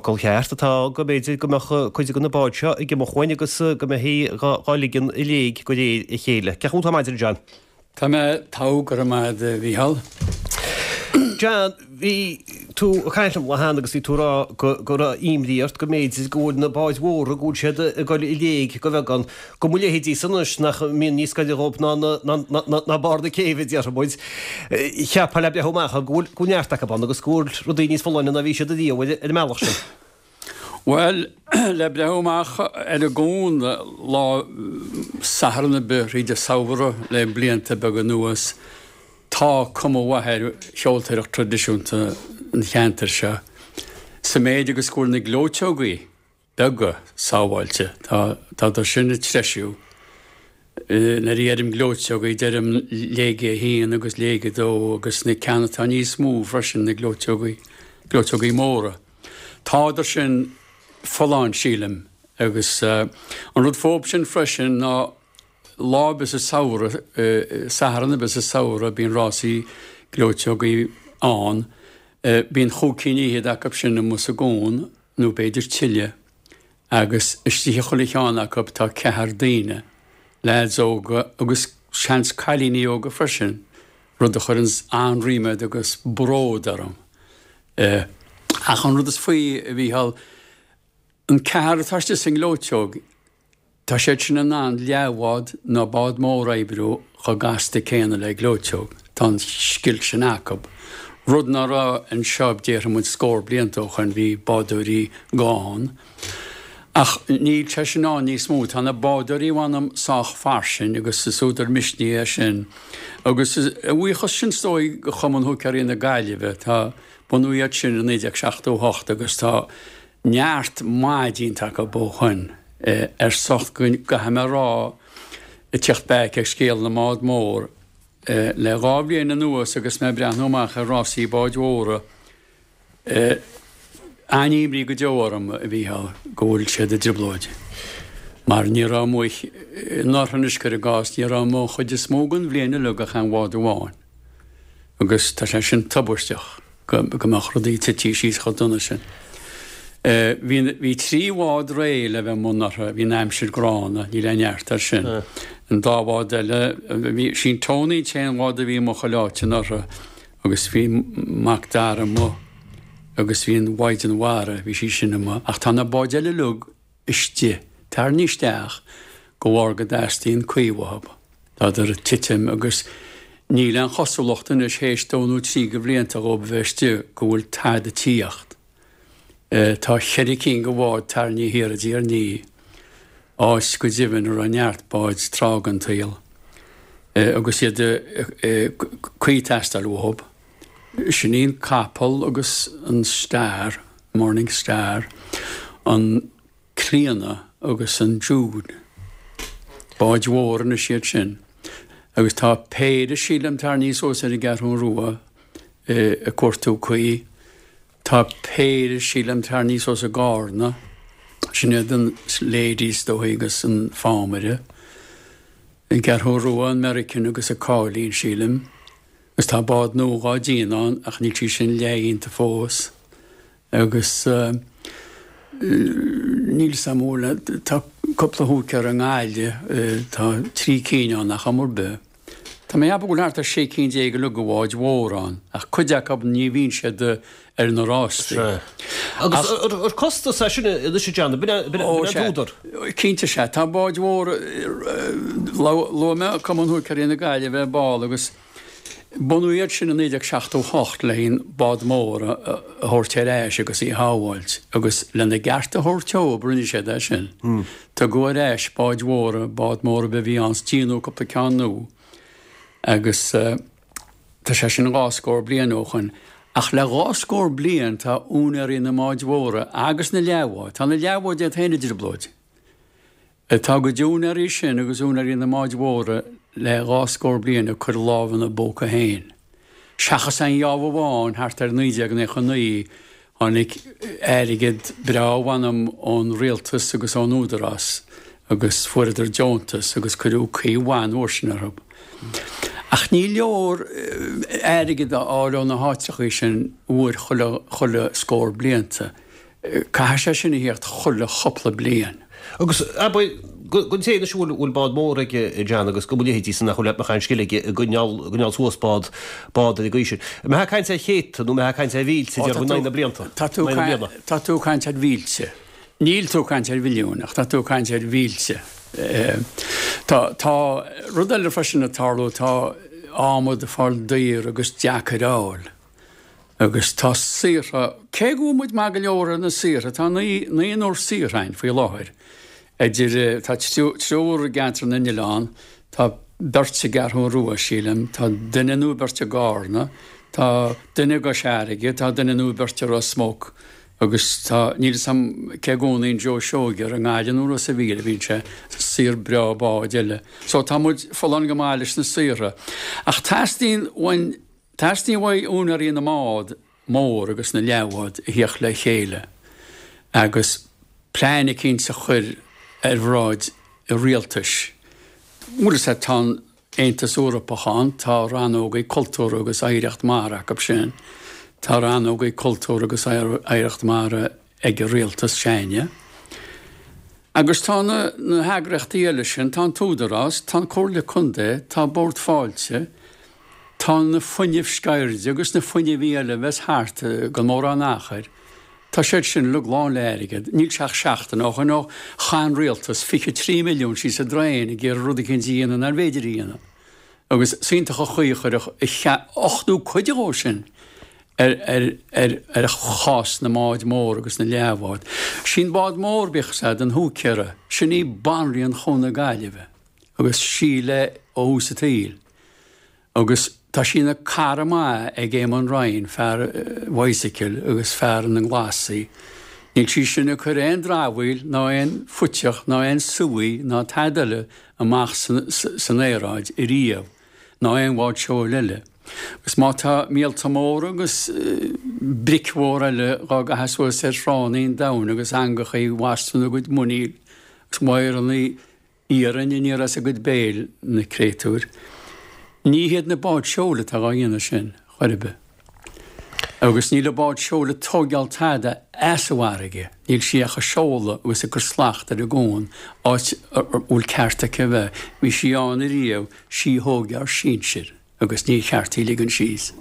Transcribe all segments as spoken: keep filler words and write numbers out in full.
focal cheart atá go mb'fhéidir go mbeadh cuid de na báid seo ag imeacht uainn agus go mbeifí dhá ligean i léig de réir a chéile. Cén chaoi atá maidin, John? Tá mé togha, go raibh maith agat, a Mhícheáil. John, bhí tú ag caint liom lá cheana agus bhí tú ag rá go go raibh imní ort go mb'fhéidir go bhfuil na báid mhóra go bhfuil siad ag dul i léig go bheagán, go mba leithéidí san anois nach mbíonn níos gaire dhóibh ná ná ná ná barr na céibhe a déarfaidh muid. Cheapfá le breith amach go bhfuil go bhfuil neart acu ann agus go bhfuil rudaí níos folláine ná bhí siad ariamh ar an mbealach sin. Bhuel, le breith amach ar an gcuan lá Sathairn ar bith thríd an samhradh le blianta beaga anuas, tá cuma mhaith ar sheoltóireacht traidisiúnta an cheantair seo, sa méid agus go bhfuil na gleoiteogaí beaga sábháilte. Tá tádar sin ag treisiú. Nuair a dheirim gleoiteogaí, deirim léige a haon agus léige a dó agus na ceanna atá níos mó freisin, na gleoiteogaí, gleoiteogaí móra. Tádar sin folláin, sílim, agus an rud fób sin freisin ná lá ar bith sa samhradh, Satharn ar bith sa samhradh, bíonn rásaí gleoiteogaí ann. Bíonn chúig cinn fhichead acu sin amuigh sa gcuan, nó b'fhéidir tuilleadh, agus istigh i chuile cheann acu tá ceathrar daoine, leaids óga agus seans cailíní óga freisin, rud a chuireanns an-ríméad agus bród orm. Ach an rud is faoi, a Mhícheáil, an ceathrar atá istigh sa ngleoiteog, Tá siad sin in ann leathbhád nó bád mór a oibriú chomh gasta céanna le gleoiteog. Tá an scil sin acu. Rud ná raibh anseo déarfaidh muid scór blianta ó shoin, bhí bádóirí gann. Ach níl sé sin ann níos mó. Tá na bádóirí mh'anam sách fairsing agus is údar misnigh é sin. Agus a bhuíochas sin is dóigh do Chumann Húicéirí na Gaillimhe. Tá, bunaíodh iad sin i naoi déag seachtó a hocht agus tá neart maith déanta acu ó shoin. Ar son go gcaithfidh mé a rá, ag teacht back ar scéal na mbád mór, le dhá bhliain anuas agus mé ag breathnú amach ar rásaí báid mhóra, an-imní go deo orm, a Mhícheáil, go bhfuil siad i dtrioblóid. Mar ní raibh amuigh, anuraidh anois cuir i gcás, ní raibh amuigh an chuid is mó den bhliain uilig ach aon bhád amháin. Agus tá sé sin tubaisteach. go mbeadh rudaí tite síos chomh dona sin. Bhí bhí trí bhád réidh le bheith amuigh anuraidh, bhí an aimsir gránna, níl aon neart air sin. An dá bhád eile, bhí, sí'n Tony an t-aon bhád a bhí amuigh chuile áit anuraidh agus bhí Mac Dara amuigh agus bhí an Mhaighdean Mhara, bhí sí sin amuigh. Ach tá na báid eile uilig istigh, tarraingthe isteach de bharr go dteastaíonn caoi uathu. Tádar ag titim agus níl aon chosúlacht anois théis dó nó trí de bhlianta dhóibh a bheith istigh go bhfuil tada ag tíocht. Tá cheithre cinn de bháid tarraingthe thiar i dTír an Fhia, áit go deimhin a raibh neart báid tráth den tsaol agus iad caoi ag teastáil uathu. Sin í an Capall agus an Star, Morning Star, an Clíona agus an Jude. Báid mhóra anois iad sin. Agus tá péire, sílim, tarraingthe suas ar an gCeathrú Rua ag cuartú caoi. Tá péire, sílim, tarraingthe suas i gCarna. Sin iad an Lady is dóigh agus an Fámaire. An gCeathrú Rua, an Meiricean agus an Cáilín, sílim. Agus tá bád nua dhá déanamh ann ach níl sí sin leathdhéanta fós. Agus níl 'fhios a'm an bhfuil, tá cúpla húicéir i nGaillimh, tá trí cinn ann ach am ar bith. Tá mé ag ceapadh go bhfuil thart ar sé cinn déag uilig de bháid mhóra ann, ach cuid acu ní bhíonn siad ar na rástaí. Sea. Agus ar costas é sin anois a John, ab in an t-údar? Cinnte sea. Tá báid mhóra, luaigh mé Cumann Húicéirí na Gaillimhe ball agus Bunaíodh iad sin i naoi déag seachtó a hocht le haon bád mór a thabhairt ar ais agus í a shábháilt agus lena gceart a thabhairt dóibh rinne siad é sin. Tugadh ar ais báid mhóra, bád mór ar bith a bhí ann 's déanadh cúpla ceann nua agus tá sé sin dhá scór bliain ó shoin. Ach le dhá scór bliain tá úinéirí na mbáid mhóra agus na leathbháid, tá na leathbháid iad féin i dtrioblóid. Tá a gcuid úinéirí sin agus úinéirí na mbáid mhóra le dhá scór bliain ag cur lámh ina bpóca féin. Seachas aon gheábh amháin thart ar naoi déag naocha naoi tháinig airgead breá mh'anam ón rialtas agus ón údarás agus fuaireadar deontas agus cuireadh caoi mhaith an uair sin orthu. Ach ní leor airgead a fháil ó na háiteachaí sin uair chuile chuile scór blianta. Caithfidh sé sin a theacht chuile chúpla bliain. Agus abair gon té anois a bhfuil bád mór aige John agus go bhfuil leithéidí san nach bhfuil nach aon scil aige ag coinneáil coinneáil suas bád bád ar an gcaoi sin. An mbeifeá ag caint ar chéadta nó an mbeifeá ag caint ar mhílte déarfainn in aghaidh na blianta? Tá tú In aghaidh na bliana. Tá tú ag caint ar mhílte. Níl tú ag caint ar mhilliúin ach tá tú ag caint ar mhílte. Tá tá rud eile freisin ag tarlú tá adhmad ag fáil daor agus deacair a fháil. Agus tá saortha, cé go bhfuil muid maith go leor ar na saortha, tá naoi, naonúr saor againn faoi láthair. Idir, tá triúr i gCeantar na nOileán, tá beirt i gCeathrú Rua, sílim, tá duine nó beirt i gCarna, tá duine i gCois Fharraige, tá duine nó beirt i Ros Muc, agus tá, níl 'fhios a'm cé gcónaíonn Joe Seoige, ar i nGaillimh nó Ros a' Mhíl a bhíonn sé, saor breá báid eile. So tá muid folláin go maith leis na saortha. Ach teastaíonn uainn Teastaíonn uaidh úinéirí na mbád mór agus na leathbhád a thíocht le chéile agus plean eicínt a chur ar bhráid an rialtais. Bhfuil fhios a'd, tá an Aontas Eorpach ann, tá rannógaí cultúr agus oidhreacht mara acu sin, tá rannógaí cultúr agus oidhreacht mara ag an rialtas s'againne. Agus tá na na heagraíochtaí eile sin, tá an tÚdarás, tá an Comhairle Contae, tá Bord Fáilte, Tá na fuinnimh sceirde agus na fuinnimhí eile a bheas thart gan mórán achair, tá siad sin uilig lán le airgead. Níl sé ach seachtain ó shoin ó chaith an rialtas fiche trí milliún síos an draein ag iarraidh rud eicínt a dhéanamh nár bhféidir a dhéanamh. Agus is iontach an chaoi a chuirfeadh a ochtú cuid dhó sin ar ar ar ar chás na mbád mór agus na leathbhád. Sí'n bád mór, bíodh 'fhios a'd, an húicéara, sin í banríon Chuan na Gaillimhe agus sí léi ó thús an tsaoil. Agus tá sí ina cara maith ag Éamonn Ryan, fear bicycle agus fear na nglasaí. Níl sí sin ag cur aon dramhaíl ná aon phuiteach ná aon suí ná tada eile amach san aeráid ariamh, ná aon bhád seoil eile. Agus má tá míolta móra agus bric mhór eile dhá gcaitheamh suas ar thránna an domhain agus eangachaí ag bastún a gcuid muiníl agus wadhrannaí iarainn aniar as a gcuid béil, na créatúir. Ní hiad na báid seoil atá dhá dhéanamh sin, chor ar bith. Agus níl an bád seoil ag tóigeáil tada as an bhfarraige, níl sí ach ag seoladh agus ag cur slacht ar an gcuan, áit a bhfuil ceart aici a bheith. Bhí sí ann ariamh, sí a thóg ár sinsir. Agus ní cheart í ligean síos.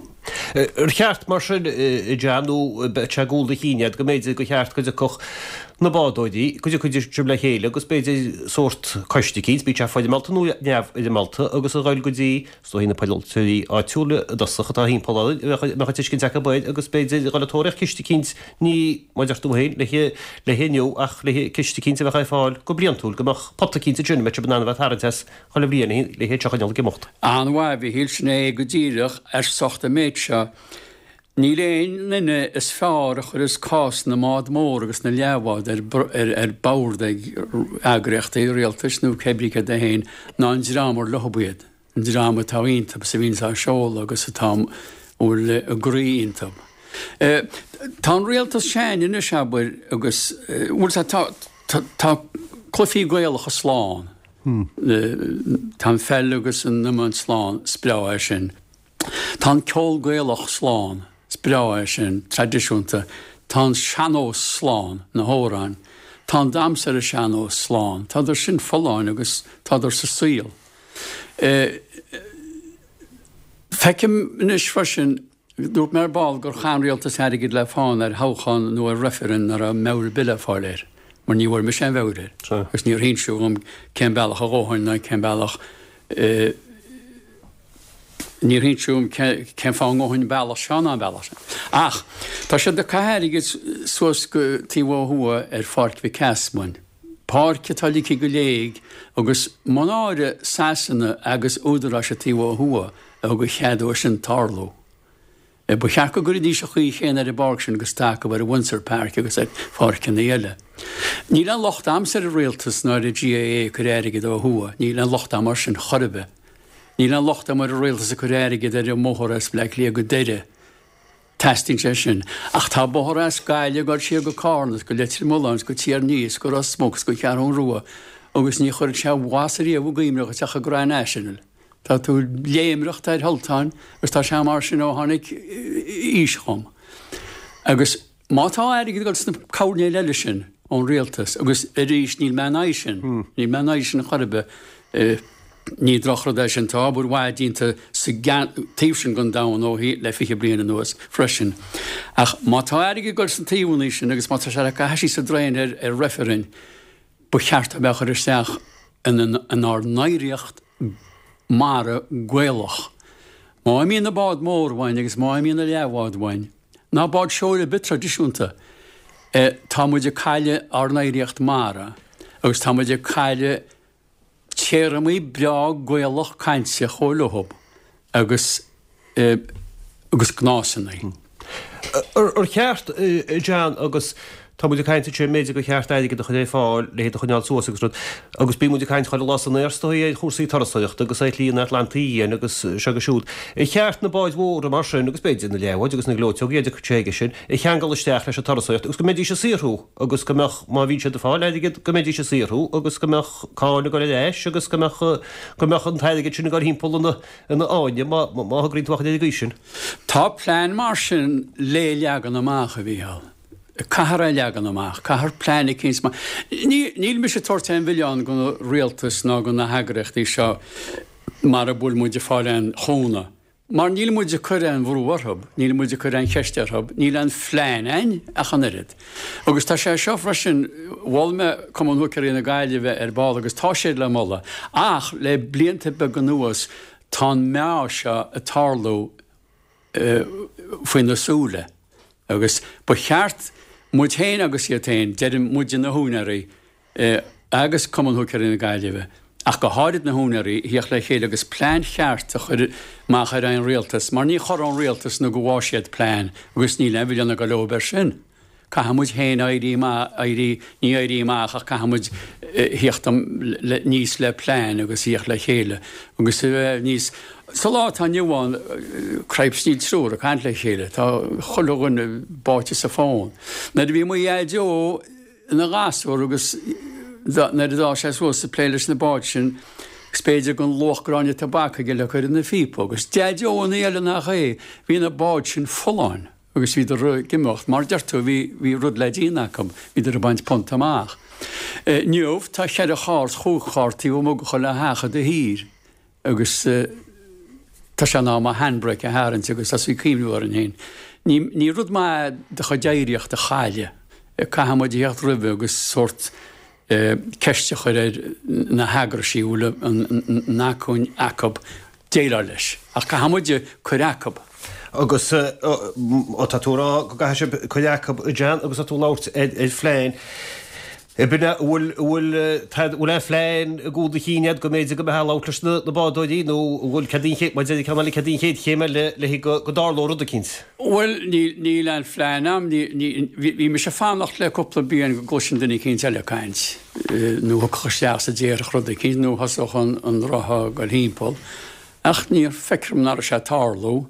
Ar cheart mar sin, a John, nó beidh sé i gcúl do chinn agat go mb'fhéidir gur cheart go dtiocfadh na bádóirí, go dtiocfaidís le chéile agus b'fhéidir sórt coiste eicínt, bíodh sé foirmeálta nó neamhfhoirmeálta, agus a dhul go dtí, is dóigh, na polaiteoirí áitiúla i dtosach atá thimpeall orainn, a mbeadh an tuiscint acu air agus b'fhéidir a dhul ag tóraíocht ciste eicínt, ní, mar a deir tú féin, le le inniu ach le ciste eicínt a bheadh ar fáil go bliantúil, go mbeadh pota eicínt ansin a mbeadh sibh in ann a bheith ag tarraingt as chuile bhliain le hé seo a choinneáil ag imeacht. An-mhaith, a Mhichíl, sin é go díreach ar socht an méid seo. Níl aon duine is fearr a chuireas cás na mbád mór agus na leathbhád ar ar bord ag eagraíochtaí rialtais nó cébrí céard é féin ná an dream ar leob iad, an dream atá iontub is a bhíonns á seoladh agus atá a bhfuil a gcroí iontub. Tá an rialtas s'againne anois, abair, agus, bhuel, tá tá cluichí Gaelacha slán. Tá an pheil agus an iomáint slán, is breá é sin. Tá an ceol Gaelach slán, is breá é sin, traidisiúnta. Tá an sean-nós slán, na hamhráin. Tá an damhsa ar an sean-nós slán. Tádar sin folláin agus tádar sa saol. Feicim anois freisin Dúirt mé ar ball gur chaith an rialtas airgead le fána ar thoghchán nó ar reifreann nach raibh meabhair ar bith le fáil air, mar ní bhfuair mise aon mheabhair air agus níor hinseadh dhom cén bealach a ghabhfainn ná cén bealach níor hinseadh dhom cén fáth a ngabhfainn an bealach seo ná an bealach sin. Ach tá siad ag caitheamh airgid suas go taobh ó thuaidh ar Pháirc Mhic Easmainn, páirc atá ligthe go léig agus mo náire Sasana agus údaráis an taobh ó thuaidh a thug a chead dó sin tarlú. Ba cheart go gcuirfidís an chaoi chéanna ar an bpáirc sin agus atá acu ar an Windsor Park agus ar pháirceanna eile. Níl aon locht a'msa ar an rialtas ná ar an GAA ag cur airgid ó thuaidh, níl aon locht a'm air sin chor ar bith. Níl aon locht a'm ar an rialtas ag cur airgid ar an mbóthar as Bleá Cliath go Doire. Teastaíonn sé sin. Ach tá bóthar as Gaillimh ag dul siar go Cárna is go Leitir Mealláin is go Tír an Fhia is go Ros Muc is go Ceathrún Rua agus ní chuireann sé mhas ariamh i gcuimhne dhuit ach ag rá national. Tá tú ag léimreacht ar sholltáin agus tá sé mar sin ó tháinig aois chugam. Agus Má tá airgead ag dul sna coirnéil eile sin ón rialtas, agus arís níl mé in aghaidh sin, níl mé in aghaidh sin chor ar bith, ní drochrud é sin, tá obair mhaith déanta sa taobh sin den domhan ó le fiche bliain anuas freisin. Ach má tá airgead ag dul sna taobhanna sin agus má tá sé le caitheamh síos an draein ar ar reifrinn, ba cheart a bheith á chur isteach inár n-oidhreacht mara Gaelach. Má imíonn na báid mór uainn agus má imíonn na leathbháid uainn, ná bád seoil ar bith traidisiúnta, tá muid ag cailleadh ár n-oidhreacht mara agus tá muid ag cailleadh téarmaí breá Gaelach cainte chomh leothub agus agus gnásanna. Ar cheart, a John, agus tá muid ag caint ansin, b'fhéidir gur cheart airgead a chur ar fáil le hiad a choinneáil suas agus rud, agus bíonn muid ag caint chuile lá san aer is dóigh ar chúrsaí turasóireachta agus ar shlí an Atlantaigh Fhiáin agus seo agus siúd. Ar cheart na báid mhóra mar sin, agus b'fhéidir na leathbháid agus na gleoiteogaí a dtiocfadh sé aige sin, a cheangal isteach leis an turasóireacht agus go mbeidís ag saothrú agus go mbeadh, má bhíonn siad ag fáil airgid, go mbeidís ag saothrú agus go mbeadh cáin ag dul ar ais agus go mbeadh, go mbeadh an t-airgead sin ag dul thimpeall ina, ina fháinne má, má thograíonn tú amach ar an gcaoi sin. Tá plean mar sin le leagan amach, a Mhícheáil. Caithfear é a leagan amach. Caithfear plean eicínt mar. Ní, níl mise ag tabhairt aon mhilleán don rialtas ná do na heagraíochtaí seo mara bhfuil muid ag fáil aon chúnamh. Mar níl muid ag cur aon bhrú orthu, níl muid ag cur aon cheist orthu, níl aon phlean a'inn ach an oiread. Agus tá sé seo freisin, mhol mé Cumann Húicéirí na Gaillimhe ar ball agus tá siad le moladh, ach le blianta beaga anuas tá an meath seo ag tarlú faoina súile agus ba cheart muid féin agus iad féin, deirim muide na húinéirí agus Cumann Húicéirí na Gaillimhe, ach go háirid na húinéirí, a thíocht le chéile agus plean cheart a chur amach ar an rialtas mar ní chorróidh an rialtas nó go bhfaighidh siad plean agus níl aon mhilleán ag dul leob air sin. Caithfidh muid féin éirí amach, éirí, ní éirí amach ach caithfidh muid thíocht aníos le plean agus thíocht le chéile agus a bheith níos, sa lá atá inniu ann, cripes níl triúr ag caint le chéile, tá chuile dhuine báite sa bhfón. Nuair a bhí mo Dhaideo ina ghasúr agus nuair a d'fhás sé suas ag plé leis na báid sin, agus b'fhéidir go luach gráinne tobac aige le cur ina phíopa agus Daideo an ní eile nach é, bhí na báid sin folláin. Agus bhíodar ag imeacht, mar deir tú, bhí, bhí rud le déanamh acu, bhíodar ag baint punt amach. Inniu, tá cheithre charr, chúig charr taobh amuigh de chuile theach i do thír agus tá sé in am an handbrake a tharraingt agus tosú ag cuimhniú orainn féin. Ní, ní rud maith é do chuid oidhreacht a chailleadh. Caithfidh muid a theacht roimhe agus sórt ceist a chur ar na heagraisí a bhfuil an acmhainn acu déileáil leis. Ach caithfidh muide cur acu. Agus tá tú ag rá go gcaithfidh sibh cur acu, a John, agus tá tú ag labhairt ar phlean. B'in é, an bhfuil, an bhfuil, an bhfuil aon phlean i gcúl do chinn agat go mb'fhéidir go mbeifeá ag labhairt leis na bádóirí nó an bhfuil, céard í an chéad, mar deir ceann eile, céard í an chéad chéim eile le go dtarlódh rud eicínt? Bhuel, níl, níl aon phlean a'm, ní, ní, bhí, bhí mise ag fanacht le cúpla bliain go gcloisfinn duine eicínt eile ag caint, nó thiocfadh isteach sa déarfadh rud eicínt nó thosódh an, an roth ag goil thimpeall. Ach ní feictear dom nach raibh sé ag tarlú.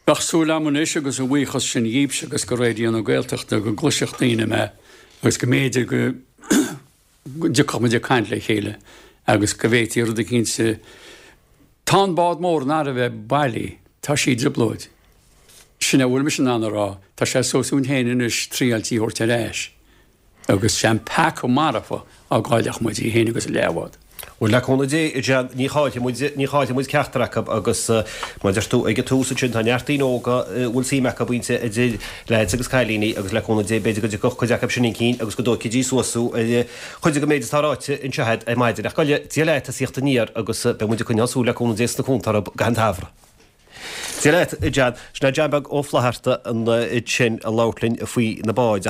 Bheadh súil a'm anois agus a bhuíochas sin dhíbhse agus go Raidió na Gaeltachta go gcloisfeadh daoine mé agus go mb'fhéidir go dtiocfadh muid ag caint le chéile agus go bhféadfaí rud eicínt a Tá an bád mór in thar a bheith bailí, tá sí i dtrioblóid. Sin a bhfuil mise in ann a rá, tá sé suas uainn féin anois triail í a thabhairt ar ais. Agus sé an peaca marfa dá gcaillfeadh muid í féin agus a leathbhád. Bhuel, le cúnamh Dé, a John, ní chaillfidh muid, ní chaillfidh muid ceachtar acu agus mar a deir tú ag an tús ansin, tá neart daoine óga a bhfuil suim acu inti, idir leaids agus cailíní agus le cúnamh Dé b'fhéidir go dtiocfadh cuid acu sin chun cinn agus go dtógfaidís suas thú ar chuid den méid atá ráite anseo agat ar maidin. Ach go Dia leat as theacht aniar agus beidh muid ag coinneáil súil le cúnamh Dé sna cuanta orthu i gcaitheamh an tsamhraidh. Dia leat, a John. Sin é John Beag Ó Flatharta ansin ag labhairt linn faoi na báid.